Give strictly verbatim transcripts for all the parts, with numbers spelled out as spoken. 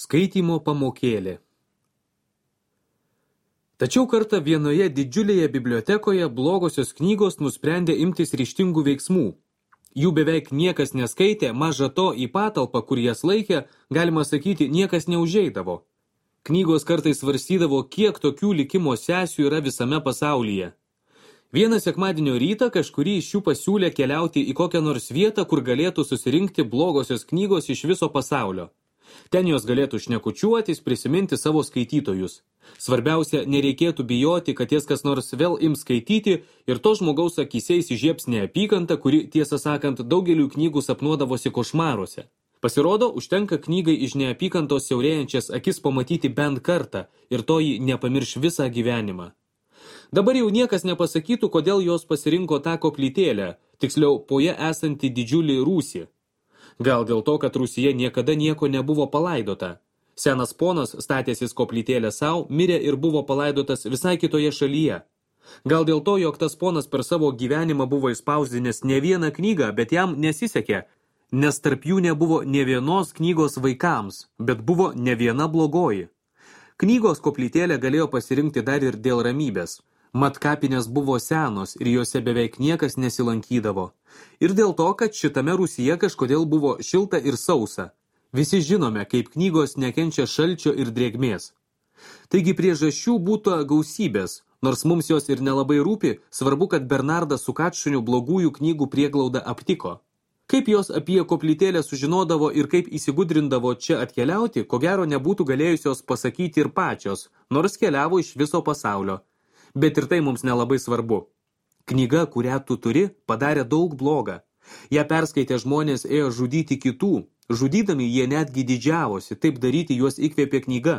Skaitymo pamokėlė. Tačiau kartą vienoje didžiulėje bibliotekoje blogosios knygos nusprendė imtis ryžtingų veiksmų. Jų beveik niekas neskaitė, maža to į patalpą, kur jas laikė, galima sakyti, niekas neužeidavo. Knygos kartais svarstydavo, kiek tokių likimo sesių yra visame pasaulyje. Vieną sekmadienio rytą kažkurį iš jų pasiūlė keliauti į kokią nors vietą, kur galėtų susirinkti blogosios knygos iš viso pasaulio. Ten jos galėtų šnekučiuotis, prisiminti savo skaitytojus. Svarbiausia, nereikėtų bijoti, kad jas kas nors vėl ims skaityti ir to žmogaus akyse įsižiebs neapykanta, kuri, tiesą sakant, daugeliu knygų sapnuodavosi košmaruose. Pasirodo, užtenka knygai iš neapykantos siaurėjančias akis pamatyti bent kartą ir to ji nepamirš visą gyvenimą. Dabar jau niekas nepasakytų, kodėl jos pasirinko tą koplytėlę, tiksliau po ją esantį didžiulį rūsį. Gal dėl to, kad Rūsyje niekada nieko nebuvo palaidota. Senas ponas, statęsis koplytėlę savo, mirė ir buvo palaidotas visai kitoje šalyje. Gal dėl to, jog tas ponas per savo gyvenimą buvo įspausdinęs ne vieną knygą, bet jam nesisekė, nes tarp jų nebuvo ne vienos knygos vaikams, bet buvo ne viena blogoji. Knygos koplytėlę galėjo pasirinkti dar ir dėl ramybės. Mat kapinės buvo senos ir juose beveik niekas nesilankydavo. Ir dėl to, kad šitame Rūsyje kažkodėl buvo šilta ir sausa. Visi žinome, kaip knygos nekenčia šalčio ir drėgmės. Taigi priežasčių būtų gausybės, nors mums jos ir nelabai rūpi, svarbu, kad Bernardas su Kačuniu blogųjų knygų prieglaudą aptiko. Kaip jos apie koplytėlę sužinodavo ir kaip įsigudrindavo čia atkeliauti, ko gero nebūtų galėjusios pasakyti ir pačios, nors keliavo iš viso pasaulio. Bet ir tai mums nelabai svarbu. Knyga, kurią tu turi, padarė daug blogą. Ją perskaitę žmonės ėjo žudyti kitų. Žudydami jie netgi didžiavosi, taip daryti juos įkvėpė knyga.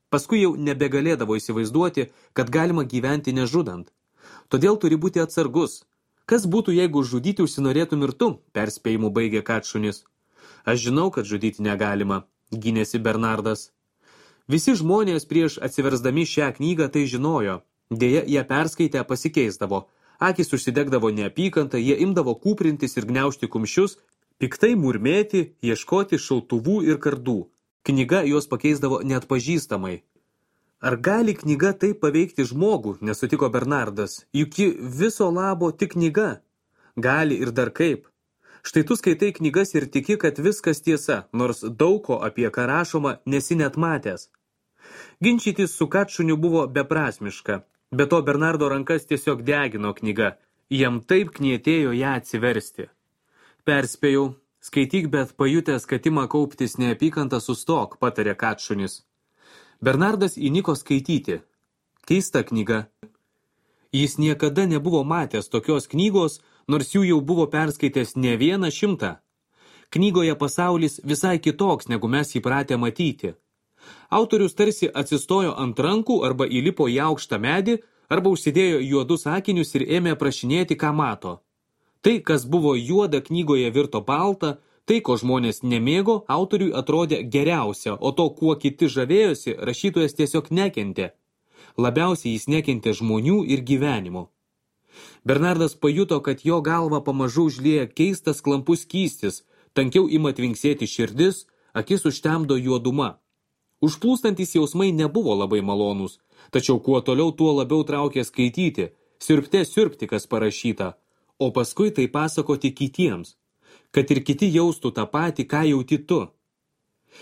Paskui jau nebegalėdavo įsivaizduoti, kad galima gyventi nežudant. Todėl turi būti atsargus. Kas būtų, jeigu žudyti užsinorėtum ir tu, perspėjimu baigė Kačunis. Aš žinau, kad žudyti negalima, gynėsi Bernardas. Visi žmonės prieš atsiversdami šią knygą tai žinojo. Deja, jie perskaitę pasikeisdavo. Akis užsidegdavo neapykantą, jie imdavo kūprintis ir gniaužti kumščius, piktai murmėti, ieškoti šautuvų ir kardų. Knyga juos pakeisdavo neatpažįstamai. Ar gali knyga taip paveikti žmogų, nesutiko Bernardas, juk ji viso labo tik knyga. Gali ir dar kaip. Štai tu skaitai knygas ir tiki, kad viskas tiesa, nors daug ko apie ką rašoma nesi net matęs. Ginčytis su Kačuniu buvo beprasmiška. Be to Bernardo rankas tiesiog degino knyga. Jam taip knietėjo ją atsiversti. Perspėjau, skaityk, bet pajutęs, kad ima kauptis neapykantą, sustok, patarė Kačunis. Bernardas įniko skaityti. Keista knyga. Jis niekada nebuvo matęs tokios knygos, nors jų jau buvo perskaitęs ne vieną šimtą. Knygoje pasaulis visai kitoks, negu mes įpratę matyti. Autorius tarsi atsistojo ant rankų arba įlipo į aukštą medį, arba užsidėjo juodus akinius ir ėmė prašinėti, ką mato. Tai, kas buvo juoda knygoje virto balta, tai, ko žmonės nemėgo, autoriui atrodė geriausia, o to, kuo kiti žavėjosi, rašytojas tiesiog nekentė. Labiausiai jis nekentė žmonių ir gyvenimo. Bernardas pajuto, kad jo galva pamažu užlieja keistas klampus skystis, tankiau ima tvinksėti širdis, akis užtemdo juoduma. Užplūstantis jausmai nebuvo labai malonūs, tačiau kuo toliau, tuo labiau traukė skaityti, siurbte siurbti, kas parašyta, o paskui tai pasakoti kitiems, kad ir kiti jaustų tą patį, ką jauti tu.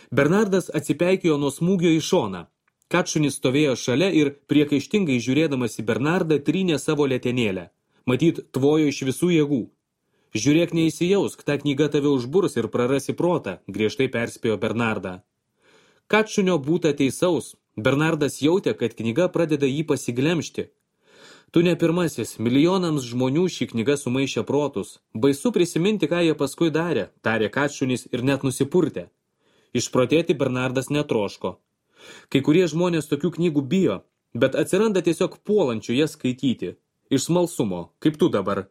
Bernardas atsipeikėjo nuo smūgio į šoną. Kačunis stovėjo šalia ir, priekaištingai žiūrėdamas į Bernardą, trynė savo letenėlę. Matyt, tvojo iš visų jėgų. Žiūrėk, neįsijausk, ta knyga tave užburs ir prarasi protą, griežtai perspėjo Bernardą. Kačunio būta teisaus. Bernardas jautė, kad knyga pradeda jį pasiglemžti. Tu ne pirmasis, milijonams žmonių ši knyga sumaišė protus. Baisu prisiminti, ką jie paskui darė, tarė Kačunis ir net nusipurtė. Išprotėti Bernardas netroško. Kai kurie žmonės tokių knygų bijo, bet atsiranda tiesiog puolančių jas skaityti. Iš smalsumo, kaip tu dabar.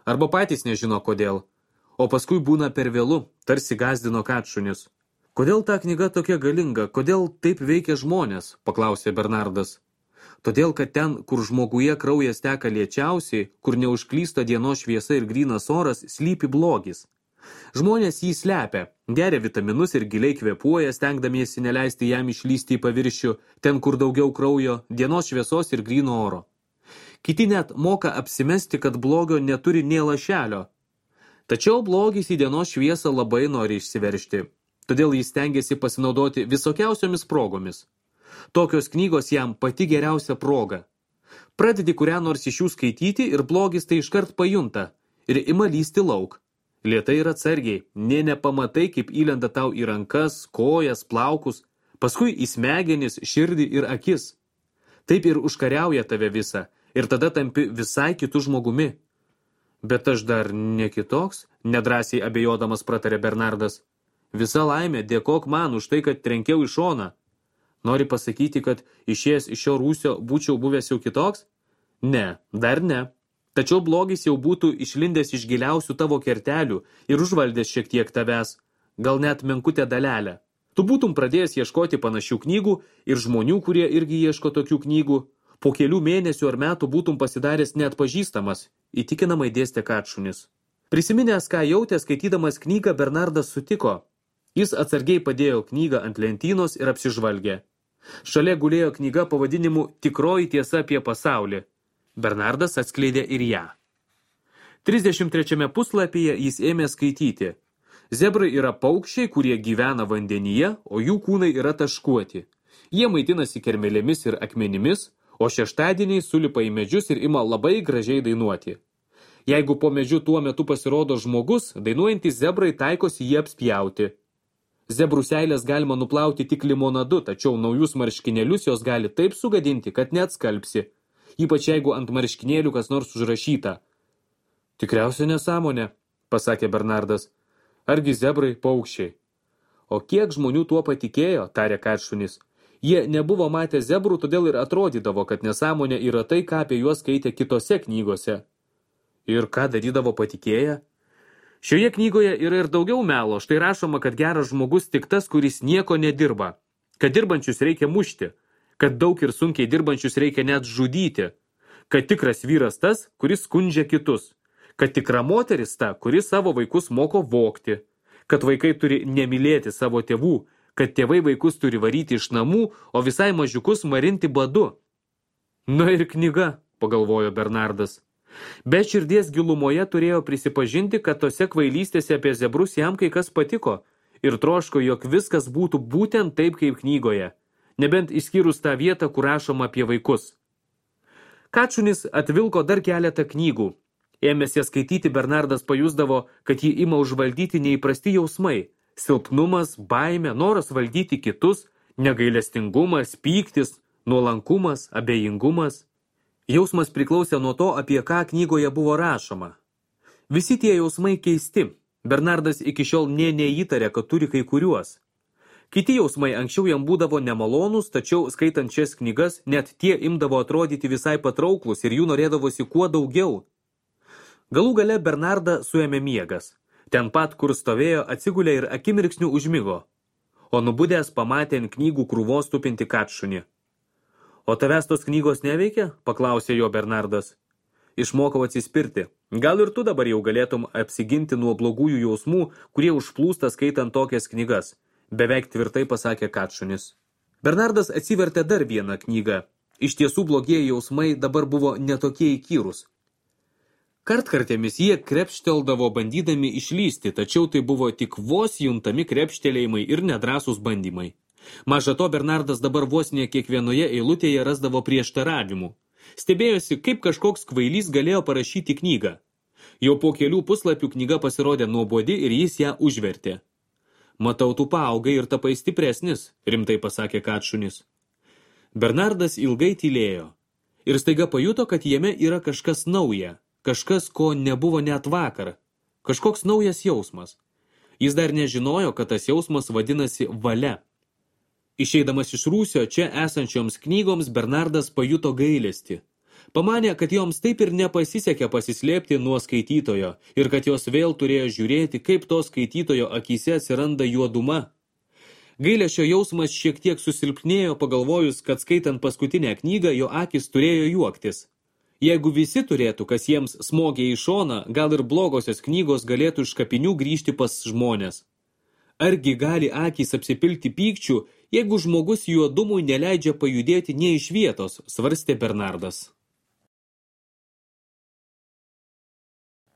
Arba patys nežino kodėl. O paskui būna per vėlu, tarsi gąsdino Kačunis. Kodėl ta knyga tokia galinga, kodėl taip veikia žmonės, paklausė Bernardas. Todėl, kad ten, kur žmoguje kraujas teka lėčiausiai, kur neužklysta dienos šviesa ir grynas oras, slypi blogis. Žmonės jį slepia, geria vitaminus ir giliai kvėpuoja, stengdamiesi neleisti jam išlysti į paviršių, ten kur daugiau kraujo, dienos šviesos ir gryno oro. Kiti net moka apsimesti, kad blogio neturi nė lašelio. Tačiau blogis į dienos šviesą labai nori išsiveržti, todėl jis stengiasi pasinaudoti visokiausiomis progomis. Tokios knygos jam pati geriausia proga. Pradedi kurią nors iš jų skaityti ir blogis tai iškart pajunta ir ima lysti lauk. Lėtai ir atsargiai, nė nepamatai, kaip įlenda tau į rankas, kojas, plaukus, paskui į smegenis, širdį ir akis. Taip ir užkariauja tave visą ir tada tampi visai kitu žmogumi. Bet aš dar ne kitoks, nedrąsiai abejodamas pratarė Bernardas. Visa laimė, dėkok man už tai, kad trenkiau į šoną. Nori pasakyti, kad išėjęs iš šio rūsio būčiau buvęs jau kitoks? Ne, dar ne. Tačiau blogis jau būtų išlindęs iš giliausių tavo kertelių ir užvaldęs šiek tiek tavęs, gal net menkutę dalelę. Tu būtum pradėjęs ieškoti panašių knygų ir žmonių, kurie irgi ieško tokių knygų. Po kelių mėnesių ar metų būtum pasidaręs neatpažįstamas, įtikinamai dėstė Kačunis. Prisiminęs, ką jautė skaitydamas knygą, Bernardas sutiko. Jis atsargiai padėjo knygą ant lentynos ir apsižvalgė. Šalia gulėjo knyga pavadinimu Tikroji tiesa apie pasaulį. Bernardas atskleidė ir ją. trisdešimt trečiame puslapyje jis ėmė skaityti. Zebrai yra paukščiai, kurie gyvena vandenyje, o jų kūnai yra taškuoti. Jie maitinasi kermelėmis ir akmenimis, o šeštadieniai sulipa į medžius ir ima labai gražiai dainuoti. Jeigu po medžiu tuo metu pasirodo žmogus, dainuojantys zebrai taikosi jį apspjauti. Zebrų seilės galima nuplauti tik limonadu, tačiau naujus marškinėlius jos gali taip sugadinti, kad net skalpsi. Ypač jeigu ant marškinėlių kas nors užrašyta. Tikriausiai nesąmonė, pasakė Bernardas. Argi zebrai paukščiai? O kiek žmonių tuo patikėjo, tarė Kačunis. Jie nebuvo matę zebrų, todėl ir atrodydavo, kad nesąmonė yra tai, ką apie juos skaitė kitose knygose. Ir ką darydavo patikėję? Šioje knygoje yra ir daugiau melo, štai rašoma, kad geras žmogus tik tas, kuris nieko nedirba, kad dirbančius reikia mušti, kad daug ir sunkiai dirbančius reikia net žudyti, kad tikras vyras tas, kuris skundžia kitus, kad tikra moteris ta, kuris savo vaikus moko vogti, kad vaikai turi nemylėti savo tėvų, kad tėvai vaikus turi varyti iš namų, o visai mažiukus marinti badu. Na ir knyga, pagalvojo Bernardas. Bet širdies gilumoje turėjo prisipažinti, kad tose kvailystėse apie zebrus jam kai kas patiko ir troško, jog viskas būtų būtent taip kaip knygoje, nebent išskyrus tą vietą, kur rašoma apie vaikus. Kačunis atvilko dar keletą knygų. Ėmęs jas skaityti, Bernardas pajusdavo, kad jį ima užvaldyti neįprasti jausmai. Silpnumas, baimė, noras valdyti kitus, negailestingumas, pyktis, nuolankumas, abejingumas. Jausmas priklausė nuo to, apie ką knygoje buvo rašoma. Visi tie jausmai keisti. Bernardas iki šiol nė neįtarė, kad turi kai kuriuos. Kiti jausmai anksčiau jam būdavo nemalonus, tačiau skaitant šias knygas, net tie imdavo atrodyti visai patrauklus ir jų norėdavosi kuo daugiau. Galų gale Bernardą suėmė miegas. Ten pat, kur stovėjo, atsigulė ir akimirksniu užmigo. O nubudęs pamatė ant knygų krūvos tupinti Kačunį. O tavęs tos knygos neveikia? Paklausė jo Bernardas. Išmokau atsispirti. Gal ir tu dabar jau galėtum apsiginti nuo blogųjų jausmų, kurie užplūsta skaitant tokias knygas, beveik tvirtai pasakė Kačunis. Bernardas atsivertė dar vieną knygą. Iš tiesų blogieji jausmai dabar buvo netokie įkyrūs. Kartkartėmis jie krepšteldavo bandydami išlysti, tačiau tai buvo tik vos juntami krepštelėjimai ir nedrąsūs bandymai. Maža to, Bernardas dabar vos ne kiekvienoje eilutėje rasdavo prieštaravimų. Stebėjosi, kaip kažkoks kvailys galėjo parašyti knygą. Jau po kelių puslapių knyga pasirodė nuobodi ir jis ją užvertė. Matau, tu paaugai ir tapai stipresnis, rimtai pasakė Kačunis. Bernardas ilgai tylėjo ir staiga pajuto, kad jame yra kažkas nauja, kažkas, ko nebuvo net vakar, kažkoks naujas jausmas. Jis dar nežinojo, kad tas jausmas vadinasi valia. Išeidamas iš rūsio čia esančioms knygoms, Bernardas pajuto gailestį. Pamanė, kad joms taip ir nepasisekė pasislėpti nuo skaitytojo ir kad jos vėl turėjo žiūrėti, kaip to skaitytojo akyse atsiranda juoduma. Gailesčio jausmas šiek tiek susilpnėjo, pagalvojus, kad skaitant paskutinę knygą jo akis turėjo juoktis. Jeigu visi turėtų, kas jiems smogia į šoną, gal ir blogosios knygos galėtų iš kapinių grįžti pas žmonės. Argi gali akys apsipilti pykčių, jeigu žmogus juodumui neleidžia pajudėti nė iš vietos, svarstė Bernardas.